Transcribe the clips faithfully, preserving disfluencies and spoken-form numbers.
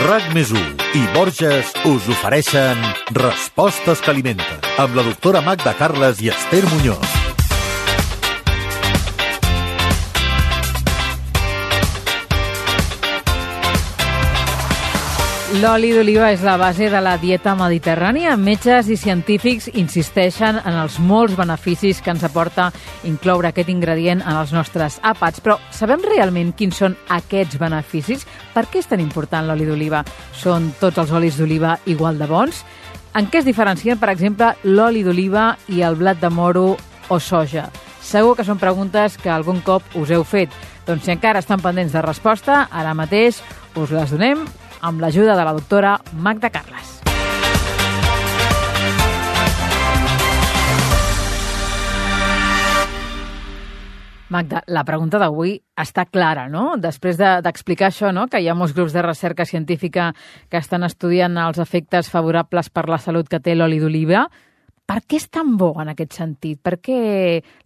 RAC més u i Borges us ofereixen Respostes que alimenten, amb la doctora Magda Carles i Esther Muñoz. L'oli d'oliva és la base de la dieta mediterrània. Metges i científics insisteixen en els molts beneficis que ens aporta incloure aquest ingredient en els nostres àpats. Però sabem realment quins són aquests beneficis? Per què és tan important l'oli d'oliva? Són tots els olis d'oliva igual de bons? En què es diferencien, per exemple, l'oli d'oliva i el blat de moro o soja? Segur que són preguntes que algun cop us heu fet. Doncs si encara estan pendents de resposta, ara mateix us les donem amb l'ajuda de la doctora Magda Carles. Magda, la pregunta d'avui està clara, no? Després de, d'explicar això, no? Que hi ha molts grups de recerca científica que estan estudiant els efectes favorables per la salut que té l'oli d'oliva, per què és tan bo en aquest sentit? Per què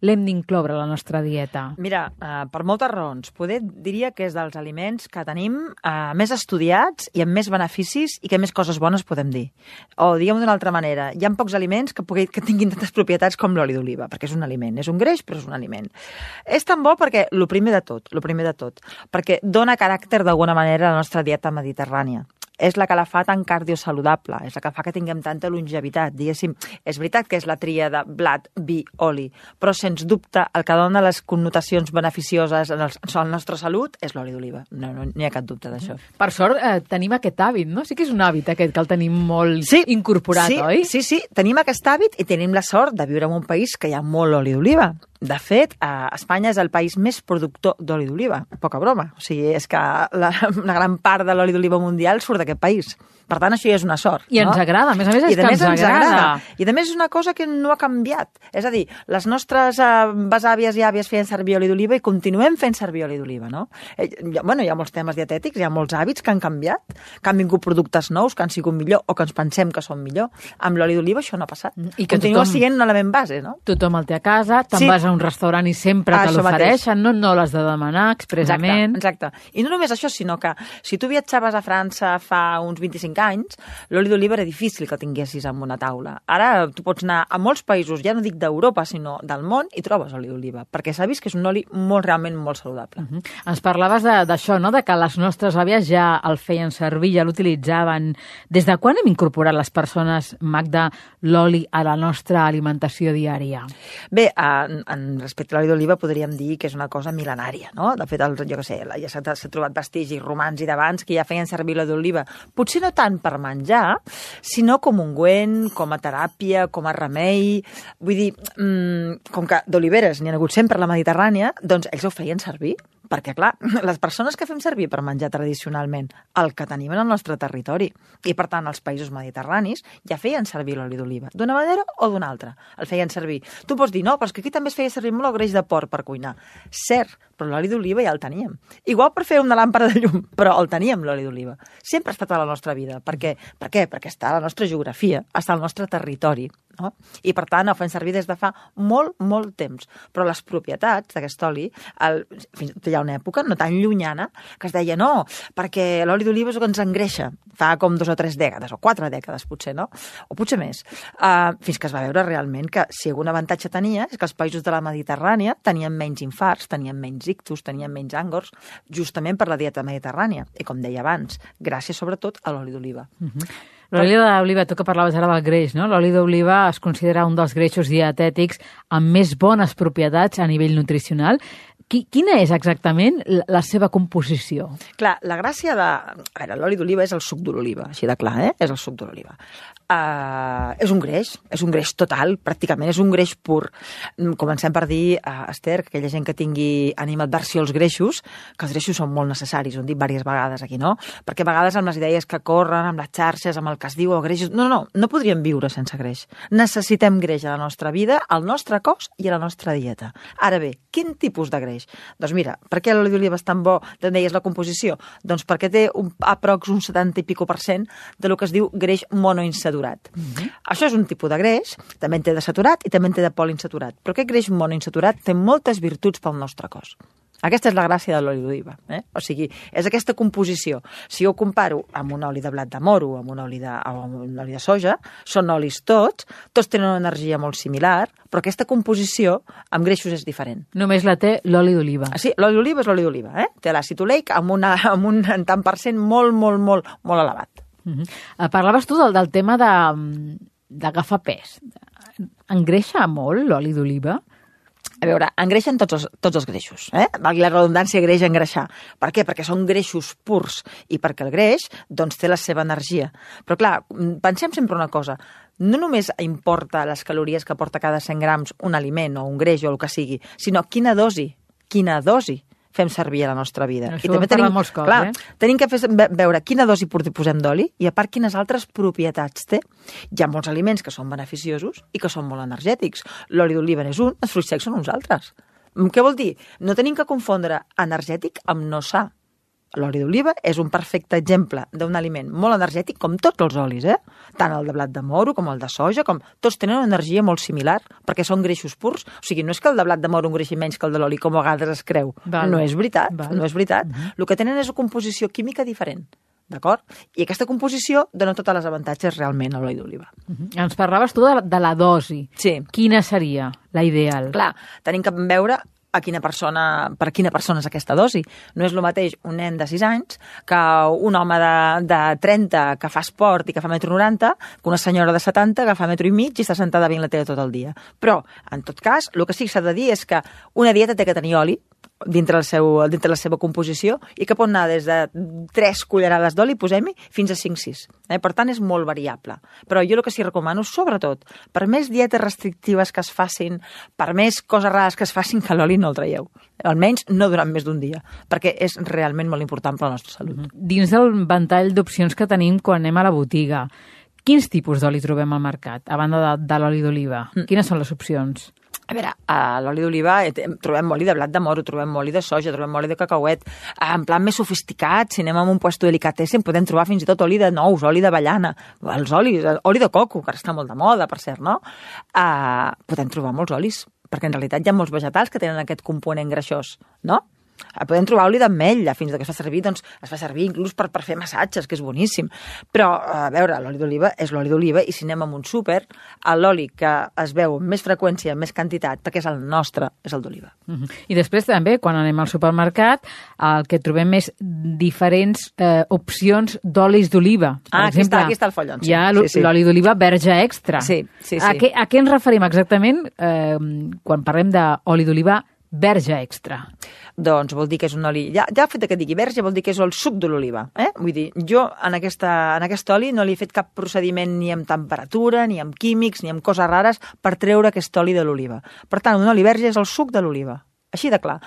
l'hem d'incloure a la nostra dieta? Mira, eh, per moltes raons. Poder diria que és dels aliments que tenim eh, més estudiats i amb més beneficis i que més coses bones podem dir. O diguem-ho d'una altra manera, hi ha pocs aliments que, pugui, que tinguin tantes propietats com l'oli d'oliva, perquè és un aliment. És un greix, però és un aliment. És tan bo perquè, lo primer de tot, lo primer de tot, perquè dona caràcter d'alguna manera a la nostra dieta mediterrània. És la que la fa tan cardiosaludable, és la que fa que tinguem tanta longevitat, diguéssim. És veritat que és la tria de blat, vi, oli, però sens dubte el que dona les connotacions beneficioses en, el, en la nostra salut és l'oli d'oliva. No, no, no hi ha cap dubte d'això. Per sort eh, tenim aquest hàbit, no? Sí que és un hàbit aquest que el tenim molt sí, incorporat, sí, oi? Sí, sí, tenim aquest hàbit i tenim la sort de viure en un país que hi ha molt oli d'oliva. De fet, eh, Espanya és el país més productor d'oli d'oliva. Poca broma. O sigui, és que la, una gran part de l'oli d'oliva mundial surt d'aquest país. Per tant, això ja és una sort. I ens no? agrada, a més a més és I que més ens, ens agrada. agrada. I a més és una cosa que no ha canviat. És a dir, les nostres eh, besàvies i àvies feien servir oli d'oliva i continuem fent servir oli d'oliva, no? Eh, bueno, hi ha molts temes dietètics, hi ha molts hàbits que han canviat, que han vingut productes nous, que han sigut millor o que ens pensem que són millor. Amb l'oli d'oliva això no ha passat. I que continua tothom, sent un element base, no? Tothom el té a casa, te'n sí. vas a un restaurant i sempre ah, te l'ofereixen, no, no l'has de demanar expressament. Exacte, exacte. I no només això, sinó que si tu viatjaves a França fa uns vint-i-cinc anys, l'oli d'oliva era difícil que el tinguessis en una taula. Ara tu pots anar a molts països, ja no dic d'Europa, sinó del món, i trobes oli d'oliva, perquè s'ha vist que és un oli molt, realment molt saludable. Uh-huh. Ens parlaves d'això, no? De que les nostres àvies ja el feien servir, ja l'utilitzaven. Des de quan hem incorporat les persones, Magda, l'oli a la nostra alimentació diària? Bé, en, en respecte a l'oli d'oliva podríem dir que és una cosa mil·lenària, no? De fet, el, jo què sé, ja s'ha, s'ha trobat vestigis romans i d'abans que ja feien servir l'oli d'oliva. Potser no tant per menjar, sinó com ungüent, com a teràpia, com a remei. Vull dir, mmm, com que d'oliveres n'hi ha hagut sempre a la Mediterrània, doncs ells ho feien servir. Perquè, clar, les persones que fem servir per menjar tradicionalment el que tenim en el nostre territori i, per tant, els països mediterranis ja feien servir l'oli d'oliva, d'una manera o d'una altra. El feien servir. Tu pots dir, no, però és que aquí també es feia servir molt el greix de porc per cuinar. Cert, però l'oli d'oliva ja el teníem. Igual per fer una làmpada de llum, però el teníem, l'oli d'oliva. Sempre ha estat a la nostra vida. Per què? Per què? Perquè està a la nostra geografia, està al nostre territori. No? I, per tant, el fem servir des de fa molt, molt temps. Però les propietats d'aquest oli, el, fins hi ha una època no tan llunyana, que es deia no, perquè l'oli d'oliva és el que ens engreixa. Fa com dos o tres dècades, o quatre dècades potser, no? O potser més. Uh, fins que es va veure realment que si algun avantatge tenia és que els països de la Mediterrània tenien menys infarts, tenien menys ictus, tenien menys àngors, justament per la dieta mediterrània. I com deia abans, gràcies sobretot a l'oli d'oliva. Uh-huh. L'oli d'oliva, tu que parlaves ara del greix, no? L'oli d'oliva es considera un dels greixos dietètics amb més bones propietats a nivell nutricional. Quina és exactament la seva composició? Clar, la gràcia de... A veure, l'oli d'oliva és el suc de l'oliva, així de clar, eh? És el suc de l'oliva. Uh, és un greix, és un greix total, pràcticament, és un greix pur. Comencem per dir, uh, Esther, que aquella gent que tingui animadversió als greixos, que els greixos són molt necessaris, ho hem dit diverses vegades aquí, no? Perquè a vegades amb les idees que corren, amb les xarxes, amb el que es diu, els greixos... No, no, no podríem viure sense greix. Necessitem greix a la nostra vida, al nostre cos i a la nostra dieta. Ara bé, quin tipus de greix? Doncs mira, per què l'oli d'oliva és tan bo, te'n deies la composició? Doncs perquè té un, aprox un setanta i pico per cent de lo que es diu greix monoinsadurat. Mm-hmm. Això és un tipus de greix, també en té de saturat i també en té de poliinsaturat. Però aquest greix monoinsaturat té moltes virtuts pel nostre cos. Aquesta és la gràcia de l'oli d'oliva. Eh? O sigui, és aquesta composició. Si jo ho comparo amb un oli de blat de moro, amb un oli de, o amb un oli de soja, són olis tots, tots tenen una energia molt similar, però aquesta composició amb greixos és diferent. Només la té l'oli d'oliva. Ah, sí, l'oli d'oliva és l'oli d'oliva. Eh? Té l'àcid oleic amb, una, amb un tant per cent molt, molt, molt, molt elevat. Uh -huh. Parlaves tu del, del tema de d'agafar pes. Engreixa molt l'oli d'oliva? A veure, engreixen tots els, tots els greixos. Eh? La redundància greix engreixar. Per què? Perquè són greixos purs i perquè el greix doncs, té la seva energia. Però clar, pensem sempre una cosa. No només importa les calories que porta cada cent grams un aliment o un greix o el que sigui, sinó quina dosi, quina dosi fem servir a la nostra vida. Això I també tenim, molts cops, clar, eh? tenim que fer, veure quina dosi posem d'oli i a part quines altres propietats té. Hi ha molts aliments que són beneficiosos i que són molt energètics. L'oli d'oliva és un, els fruits secs són uns altres. Què vol dir? No tenim que confondre energètic amb no sa. L'oli d'oliva és un perfecte exemple d'un aliment molt energètic, com tots els olis, eh? Tant el de blat de moro com el de soja, com tots tenen una energia molt similar, perquè són greixos purs. O sigui, no és que el de blat de moro engreixi menys que el de l'oli, com a vegades es creu. Val. No és veritat, Val. no és veritat. Uh-huh. El que tenen és una composició química diferent. D'acord? I aquesta composició dona tots els avantatges realment a l'oli d'oliva. Uh-huh. Ens parlaves tu de la, de la dosi. Sí. Quina seria la ideal? Clar, tenim que veure a quina persona, per a quina persona és aquesta dosi. No és el mateix un nen de sis anys que un home de, de trenta que fa esport i que fa metro noranta, que una senyora de setanta que fa metro i mig i està sentada veient la tele tot el dia. Però, en tot cas, el que sí que s'ha de dir és que una dieta té que tenir oli dintre, el seu, dintre la seva composició i que pot anar des de tres cullerades d'oli, posem-hi, fins a cinc sis. Eh? Per tant, és molt variable. Però jo el que sí recomano, sobretot, per més dietes restrictives que es facin, per més coses rares que es facin, que l'oli no el traieu. Almenys no durant més d'un dia, perquè és realment molt important per a la nostra salut. Uh-huh. Dins del ventall d'opcions que tenim quan anem a la botiga, quins tipus d'oli trobem al mercat, a banda de, de l'oli d'oliva? Mm. Quines són les opcions? A veure, a l'oli d'oliva trobem oli de blat de moro, trobem oli de soja, trobem oli de cacauet. En plan més sofisticat, si anem a un puesto delicatessen, podem trobar fins i tot oli de nous, oli d'avellana, els olis, oli de coco, que ara està molt de moda, per cert, no? Uh, podem trobar molts olis, perquè en realitat hi ha molts vegetals que tenen aquest component greixós, no? Podem trobar oli d'ametlla, fins que es fa servir, doncs, es fa servir inclús per, per fer massatges, que és boníssim. Però, a veure, l'oli d'oliva és l'oli d'oliva i si anem a un súper, l'oli que es veu amb més freqüència, amb més quantitat, perquè és el nostre, és el d'oliva. Uh-huh. I després també, quan anem al supermercat, el que trobem és diferents eh, opcions d'olis d'oliva. Per Ah, exemple, aquí està, aquí està el follon. Sí. Hi ha sí, sí. l'oli d'oliva verge extra. Sí, sí, sí. A què, a què ens referim exactament eh, quan parlem d'oli d'oliva verge extra? Doncs vol dir que és un oli... Ja, ja el fet que digui verge vol dir que és el suc de l'oliva. Eh? Vull dir, jo en, aquesta, en aquest oli no li he fet cap procediment ni amb temperatura, ni amb químics, ni amb coses rares per treure aquest oli de l'oliva. Per tant, un oli verge és el suc de l'oliva. Així de clar.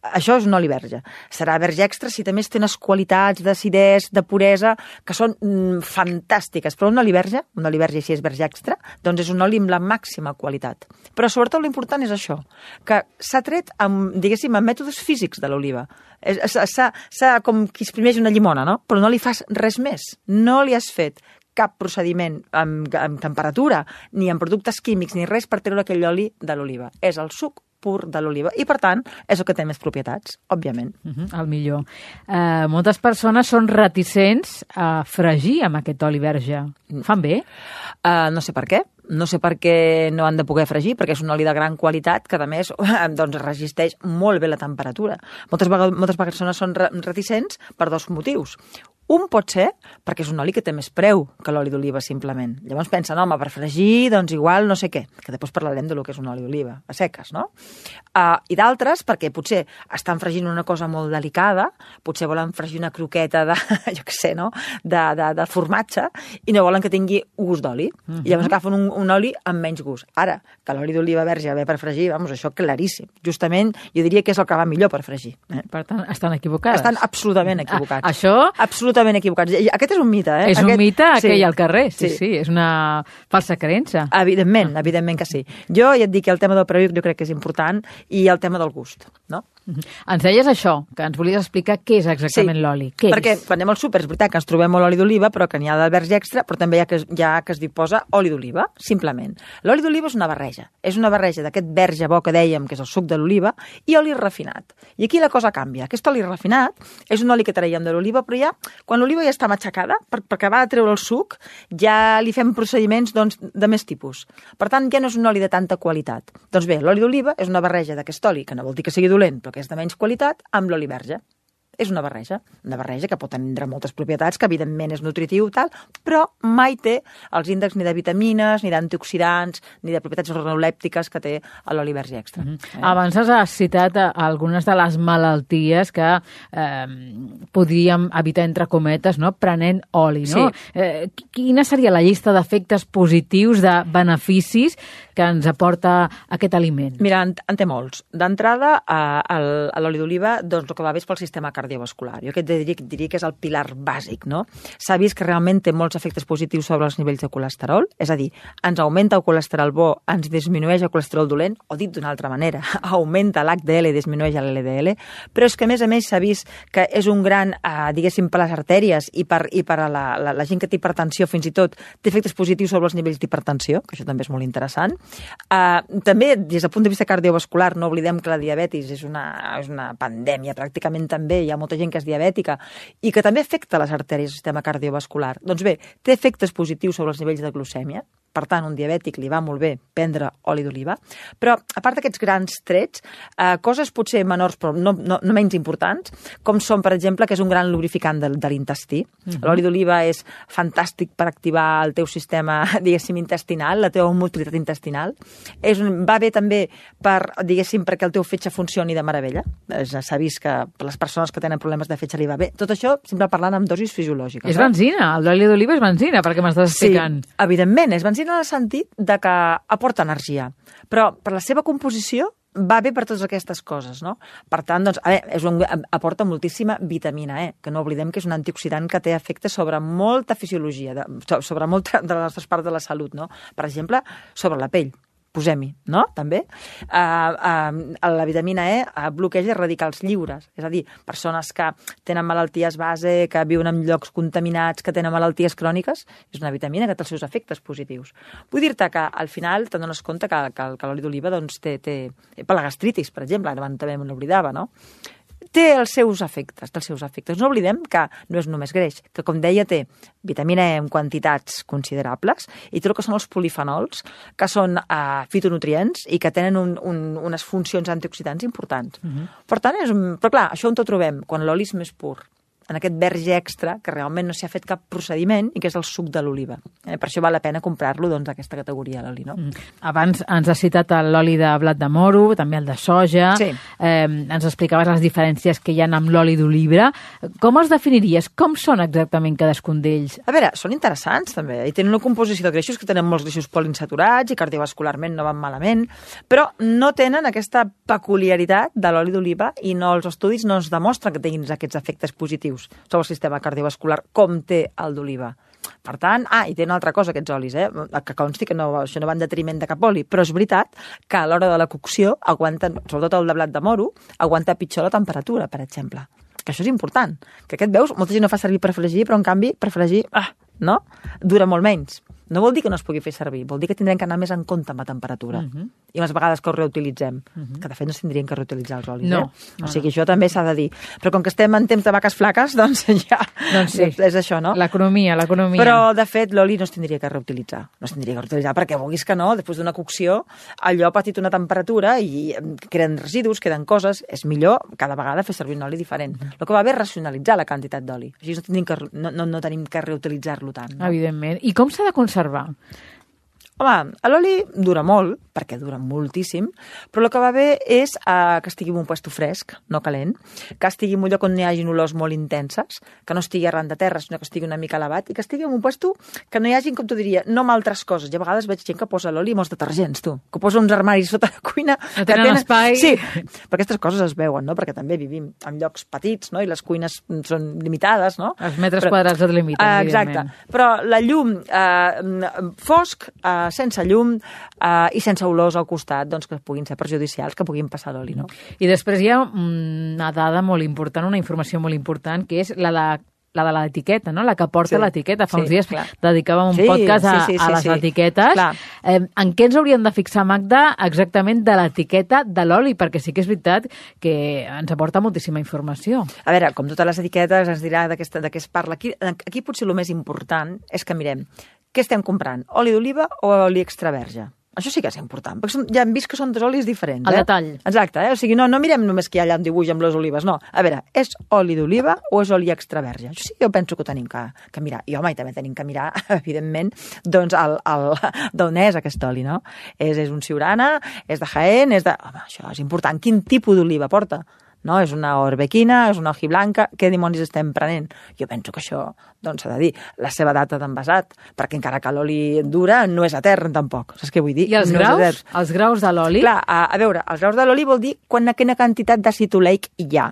Això és un oli verge. Serà verge extra si també té unes qualitats d'acidesa, de puresa, que són mm, fantàstiques. Però un oli verge, un oli verge si és verge extra, doncs és un oli amb la màxima qualitat. Però sobretot l'important és això, que s'ha tret amb, diguéssim, amb mètodes físics de l'oliva. S'ha com qui exprimeix una llimona, no? Però no li fas res més. No li has fet cap procediment amb, amb temperatura, ni amb productes químics, ni res per treure aquell oli de l'oliva. És el suc pur de l'oliva i, per tant, és el que té més propietats, òbviament. Uh-huh, el millor. Uh, moltes persones són reticents a fregir amb aquest oli verge. Fan bé? Uh, no sé per què. No sé per què no han de poder fregir, perquè és un oli de gran qualitat que, a més, doncs, resisteix molt bé la temperatura. Moltes, moltes persones són reticents per dos motius. Un pot ser perquè és un oli que té més preu que l'oli d'oliva, simplement. Llavors pensen, home, per fregir, doncs igual no sé què, que després parlarem de lo que és un oli d'oliva, a seques, no? Uh, I d'altres perquè potser estan fregint una cosa molt delicada, potser volen fregir una croqueta de, jo què sé, no?, de, de, de formatge, i no volen que tingui gust d'oli. Uh-huh. I llavors agafen un, un oli amb menys gust. Ara, que l'oli d'oliva verge ve per fregir, vamos, això claríssim. Justament, jo diria que és el que va millor per fregir. Eh? Per tant, estan equivocades. Estan absolutament equivocats. Ah, això... Absolutament absolutament equivocats. Aquest és un mite, eh? És Aquest... un mite sí. que hi ha al carrer, sí, sí, Sí. sí, és una falsa creença. Evidentment, evidentment que sí. Jo ja et dic que el tema del previc jo crec que és important i el tema del gust, no? Ens deies això, que ens volies explicar què és exactament Sí, l'oli. Què perquè és? quan anem al súper és veritat que ens trobem molt oli d'oliva, però que n'hi ha de verge extra, però també hi ha que, hi ha que es posa oli d'oliva, simplement. L'oli d'oliva és una barreja. És una barreja d'aquest verge bo que dèiem, que és el suc de l'oliva, i oli refinat. I aquí la cosa canvia. Aquest oli refinat és un oli que traiem de l'oliva, però ja, quan l'oliva ja està matxacada, per, per acabar de treure el suc, ja li fem procediments doncs, de més tipus. Per tant, ja no és un oli de tanta qualitat. Doncs bé, l'oli d'oliva és una barreja d'aquest oli, que no vol dir que sigui dolent, però que és de menys qualitat, amb l'oli verge. És una barreja, una barreja que pot tenir moltes propietats, que evidentment és nutritiu, tal, però mai té els índexs ni de vitamines, ni d'antioxidants, ni de propietats organolèptiques que té l'oli verge extra. Mm -hmm. eh? Abans has citat algunes de les malalties que eh, podríem evitar, entre cometes, no? Prenent oli, no? Sí. Eh, quina seria la llista d'efectes positius, de beneficis que ens aporta aquest aliment? Mira, en, en té molts. D'entrada, eh, l'oli d'oliva, doncs el que va bé és pel sistema cardiovascular. Jo aquest diria, diria que és el pilar bàsic, no? S'ha vist que realment té molts efectes positius sobre els nivells de colesterol, és a dir, ens augmenta el colesterol bo, ens disminueix el colesterol dolent, o dit d'una altra manera, augmenta l'H D L i disminueix l'L D L, però és que a més a més s'ha vist que és un gran, eh, diguéssim, per les artèries i per, i per a la, la, la gent que té hipertensió fins i tot, té efectes positius sobre els nivells d'hipertensió, que això també és molt interessant. Eh, també, des del punt de vista cardiovascular, no oblidem que la diabetis és una, és una pandèmia pràcticament també, hi ha molta gent que és diabètica i que també afecta les artèries del sistema cardiovascular. Doncs bé, té efectes positius sobre els nivells de glucèmia, per tant, un diabètic li va molt bé prendre oli d'oliva, però a part d'aquests grans trets, eh, coses potser menors però no, no, no menys importants, com són, per exemple, que és un gran lubrificant de, de l'intestí. Mm-hmm. L'oli d'oliva és fantàstic per activar el teu sistema, diguéssim, intestinal, la teva motilitat intestinal. És un, va bé també per, diguéssim, perquè el teu fetge funcioni de meravella. S'ha vist que per les persones que tenen problemes de fetge li va bé. Tot això sempre parlant amb dosis fisiològiques. És eh? benzina, l'oli d'oliva és benzina, perquè m'estàs explicant. Sí, evidentment, és benzina en el sentit de que aporta energia, però per la seva composició va bé per totes aquestes coses, no? Per tant, doncs, a veure, és un, aporta moltíssima vitamina E, que no oblidem que és un antioxidant que té efectes sobre molta fisiologia, de, sobre molta de les nostres parts de la salut, no? Per exemple, sobre la pell. Posem-hi, no? També. Uh, uh, la vitamina E uh, bloqueja radicals lliures, és a dir, persones que tenen malalties base, que viuen en llocs contaminats, que tenen malalties cròniques, és una vitamina que té els seus efectes positius. Vull dir-te que al final te'n dones compte que, que, que l'oli d'oliva doncs, té, té... per la gastritis, per exemple, ara també me n'oblidava, no? Té els seus efectes, els seus efectes. No oblidem que no és només greix, que com deia té vitamina E en quantitats considerables i tot el que són els polifenols, que són uh, fitonutrients i que tenen un, un, unes funcions antioxidants importants. Uh-huh. Per tant, és un... però clar, això on tot trobem? Quan l'oli és més pur, en aquest verge extra, que realment no s'hi ha fet cap procediment i que és el suc de l'oliva. Eh, per això val la pena comprar-lo, doncs, aquesta categoria, l'oli, no? Mm. Abans ens has citat l'oli de blat de moro, també el de soja. Sí. Eh, ens explicaves les diferències que hi ha amb l'oli d'oliva. Com els definiries? Com són exactament cadascun d'ells? A veure, són interessants, també. I tenen una composició de greixos que tenen molts greixos poliinsaturats i cardiovascularment no van malament, però no tenen aquesta peculiaritat de l'oli d'oliva i no, els estudis no ens demostren que tinguin aquests efectes positius sobre el sistema cardiovascular, com té el d'oliva. Per tant, ah, i té una altra cosa aquests olis, eh? Que consti que no, això no va en detriment de cap oli, però és veritat que a l'hora de la cocció aguanten, sobretot el de blat de moro, aguanta pitjor la temperatura, per exemple. Que això és important. Que aquest, veus, molta gent no fa servir per fregir, però en canvi, per fregir, ah, no? Dura molt menys. No vol dir que no es pugui fer servir, vol dir que tindrem que anar més en compte amb la temperatura. Uh-huh. I les vegades que ho reutilitzem, uh-huh. que de fet no tindríem que reutilitzar els olis, no, eh? No, o sigui, no. això també s'ha de dir. Però com que estem en temps de vaques flaques, doncs ja doncs sí. és això, no? L'economia, l'economia. Però, de fet, l'oli no es tindria que reutilitzar. No es tindria que reutilitzar perquè vulguis que no, després d'una cocció, allò ha patit una temperatura i queden residus, queden coses, és millor cada vegada fer servir un oli diferent. Uh-huh. El que va bé és racionalitzar la quantitat d'oli. Així no tenim que, no, no, no tenim que reutilitzar-lo tant. No? Evidentment. I com s'ha de conservar? Home, l'oli dura molt, perquè dura moltíssim, però el que va bé és uh, que estigui en un puesto fresc, no calent, que estigui en un lloc on hi hagi olors molt intenses, que no estigui arran de terra, sinó que estigui una mica elevat, i que estigui en un puesto que no hi hagi, com t'ho diria, no amb altres coses. I a vegades veig gent que posa l'oli i molts detergents, tu, que posa uns armaris sota la cuina. No tenen, tenen espai. Sí, però aquestes coses es veuen, no? Perquè també vivim en llocs petits, no? I les cuines són limitades, no? Els metres però, quadrats et limiten, uh, exacte. Però la llum uh, fosc, uh, sense llum uh, i sense olors al costat, doncs que puguin ser perjudicials, que puguin passar l'oli, no? I després hi ha una dada molt important, una informació molt important, que és la de la de l'etiqueta, no? La que porta sí, l'etiqueta. Fa sí, uns dies clar. dedicàvem un sí, podcast a, sí, sí, sí, a les sí. etiquetes. Eh, en què ens hauríem de fixar, Magda, exactament de l'etiqueta de l'oli? Perquè sí que és veritat que ens aporta moltíssima informació. A veure, com totes les etiquetes ens dirà de què es parla. Aquí, aquí potser el més important és que mirem què estem comprant, oli d'oliva o oli extra verge? Això sí que és important, perquè ja hem vist que són dos olis diferents. El eh? detall. Exacte, eh? O sigui, no, no mirem només que hi ha allà un dibuix amb les olives, no. A veure, és oli d'oliva o és oli extra verge? Això sí que jo penso que ho tenim que, que mirar. I home, i també tenim que mirar, evidentment, doncs el, el, d'on és aquest oli, no? És, és un Siurana, és de Jaén, és de... Home, això és important. Quin tipus d'oliva porta? No? És una orbequina, és una hojiblanca, què dimonis estem prenent? Jo penso que això, doncs s'ha de dir, la seva data d'envasat, perquè encara que l'oli dura no és etern tampoc, saps què vull dir? I els no graus? Els graus de l'oli? Clar, a, a veure, els graus de l'oli vol dir quan, quina quantitat d'àcid oleic hi ha.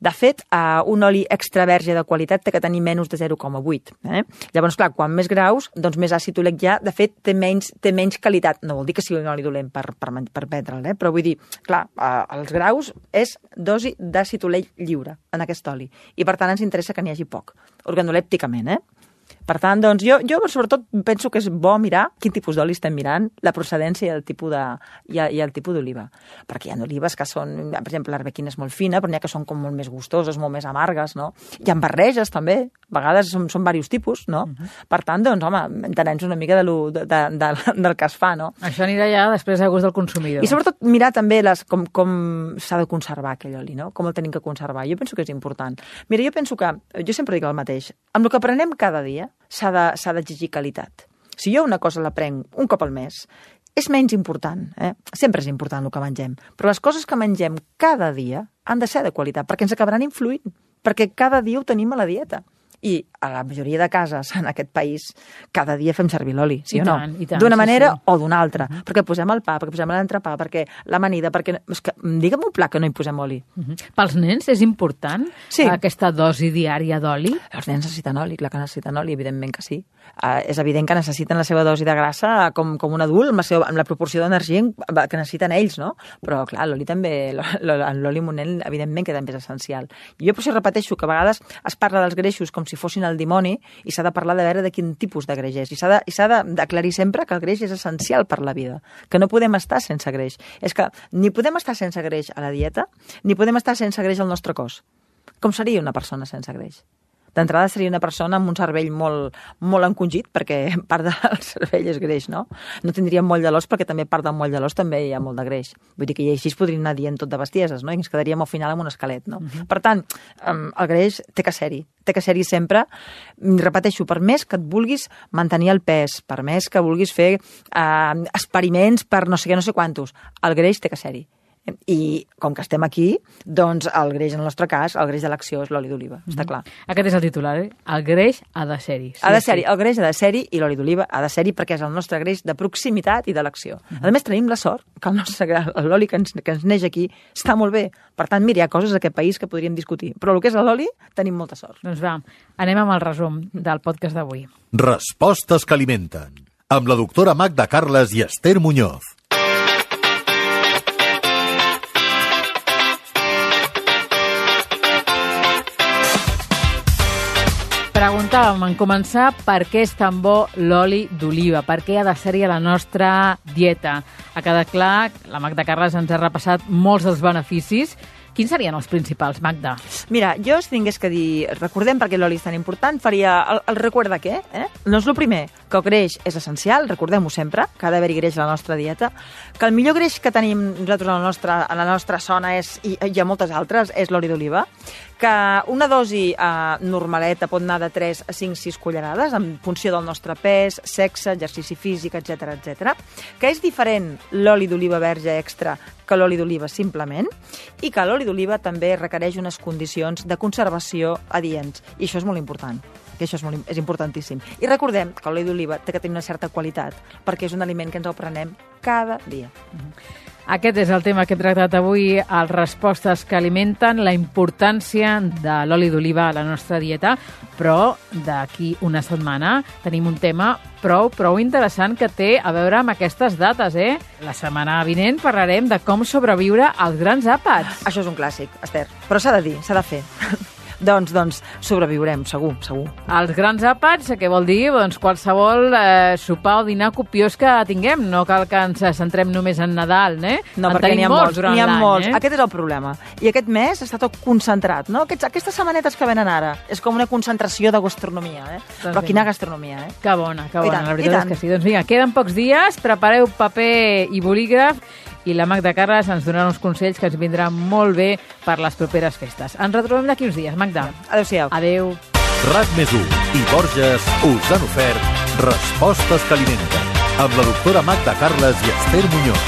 De fet, uh, un oli extra verge de qualitat té que tenir menys de zero coma vuit. Eh? Llavors, clar, quan més graus, doncs més àcid oleic hi ha, de fet, té menys, té menys qualitat. No vol dir que sigui un oli dolent per, per, per vendre'l, eh? Però vull dir, clar, uh, els graus és dosi d'àcid oleic lliure en aquest oli. I, per tant, ens interessa que n'hi hagi poc, organolèpticament, eh? Per tant, doncs, jo, jo sobretot penso que és bo mirar quin tipus d'oli estem mirant, la procedència i el tipus de, i, i el tipus d'oliva. Perquè hi ha olives que són, per exemple, l'arbequina és molt fina, però n'hi ha que són com molt més gustoses, molt més amargues, no? Hi ha barreges, també. A vegades són, són diversos tipus, no? Uh -huh. Per tant, doncs, home, entenem-nos una mica de lo, de, de, de, del que es fa, no? Això anirà ja després a gust del consumidor. I sobretot mirar també les, com, com s'ha de conservar aquell oli, no? Com el tenim que conservar. Jo penso que és important. Mira, jo penso que, jo sempre dic el mateix, amb el que aprenem cada dia s'ha d'exigir qualitat. Si jo una cosa la prenc un cop al mes, és menys important, eh? Sempre és important el que mengem, però les coses que mengem cada dia han de ser de qualitat, perquè ens acabaran influint, perquè cada dia ho tenim a la dieta. I a la majoria de cases en aquest país cada dia fem servir l'oli, sí I o no? D'una manera sí, sí. o d'una altra. Uh -huh. Perquè posem el pa, perquè posem l'entrepà, perquè l'amanida, perquè... És que, digue'm un plat que no hi posem oli. Uh -huh. Pels nens és important sí. aquesta dosi diària d'oli? Els nens necessiten oli, clar que necessiten oli, evidentment que sí. Uh, és evident que necessiten la seva dosi de grassa com, com un adult, amb la, seva, amb la proporció d'energia que necessiten ells, no? Però, clar, l'oli també, l'oli amb un nen, evidentment que també és essencial. Jo per això repeteixo que a vegades es parla dels greixos com si fossin el dimoni i s'ha de parlar de veure de quin tipus de greix és. I s'ha d'aclarir sempre que el greix és essencial per la vida, que no podem estar sense greix. És que ni podem estar sense greix a la dieta, ni podem estar sense greix al nostre cos. Com seria una persona sense greix? D'entrada seria una persona amb un cervell molt, molt encongit, perquè part del cervell és greix, no? No tindria moll de l'os, perquè també part del moll de l'os també hi ha molt de greix. Vull dir que així es podrien anar dient tot de bestieses, no? I ens quedaríem al final amb un esquelet, no? Uh-huh. Per tant, el greix té que ser-hi. Té que ser-hi sempre. Repeteixo, per més que et vulguis mantenir el pes, per més que vulguis fer eh, experiments per no sé què, no sé quantos, el greix té que ser-hi. I com que estem aquí, doncs el greix, en el nostre cas, el greix de l'acció és l'oli d'oliva, mm-hmm. està clar. Aquest és el titular, eh? El greix ha de ser-hi. Sí, ha de ser-hi, sí. El greix ha de ser-hi i l'oli d'oliva ha de ser-hi perquè és el nostre greix de proximitat i d'elecció. Mm-hmm. A més, tenim la sort que el nostre, l'oli que ens, que ens neix aquí està molt bé. Per tant, mira, hi ha coses a aquest país que podríem discutir. Però el que és l'oli, tenim molta sort. Doncs va, anem amb el resum del podcast d'avui. Respostes que alimenten. Amb la doctora Magda Carles i Esther Muñoz. Preguntàvem en començar per què és tan bo l'oli d'oliva, per què ha de ser-hi a la nostra dieta. Ha quedat clar, la Magda Carles ens ha repassat molts dels beneficis. Quins serien els principals, Magda? Mira, jo si tingués que dir, recordem per què l'oli és tan important, faria el, el record de què? Eh? Doncs el primer, que el greix és essencial, recordem-ho sempre, que ha d'haver-hi greix a la nostra dieta, que el millor greix que tenim nosaltres a la nostra, a la nostra zona és, i hi ha moltes altres, és l'oli d'oliva, que una dosi eh, normaleta pot anar de tres a cinc sis cullerades en funció del nostre pes, sexe, exercici físic, etcètera, etcètera, que és diferent l'oli d'oliva verge extra que l'oli d'oliva simplement, i que l'oli d'oliva també requereix unes condicions de conservació adients, i això és molt important. que això és, molt, és importantíssim. I recordem que l'oli d'oliva té que tenir una certa qualitat, perquè és un aliment que ens el prenem cada dia. Aquest és el tema que hem tractat avui, les respostes que alimenten, la importància de l'oli d'oliva a la nostra dieta, però d'aquí una setmana tenim un tema prou, prou interessant que té a veure amb aquestes dates, eh? La setmana vinent parlarem de com sobreviure als grans àpats. Això és un clàssic, Esther, però s'ha de dir, s'ha de fer. Doncs, doncs, sobreviurem, segur, segur. Els grans àpats, què vol dir? Doncs qualsevol eh, sopar o dinar copiós que tinguem. No cal que ens centrem només en Nadal, eh? No, en perquè n'hi ha molts, n'hi ha molts. Eh? Aquest és el problema. I aquest mes està tot concentrat, no? Aquests, aquestes setmanetes que venen ara és com una concentració de gastronomia, eh? Doncs però quina gastronomia, eh? Que bona, que bona, tant, la veritat és que sí. Doncs vinga, queden pocs dies, prepareu paper i bolígraf, i la Magda Carles ens donarà uns consells que ens vindran molt bé per les properes festes. Ens retrobem d'aquí uns dies, Magda. Adéu-siau. Adéu. RAC més u i Borges us han ofert Respostes que alimenten, amb la doctora Magda Carles i Esther Muñoz.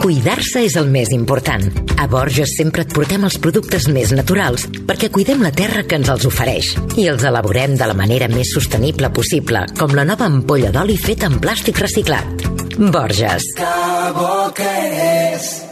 Cuidar-se és el més important. A Borges sempre et portem els productes més naturals perquè cuidem la terra que ens els ofereix i els elaborem de la manera més sostenible possible, com la nova ampolla d'oli feta en plàstic reciclat. Borges. Que bo que és!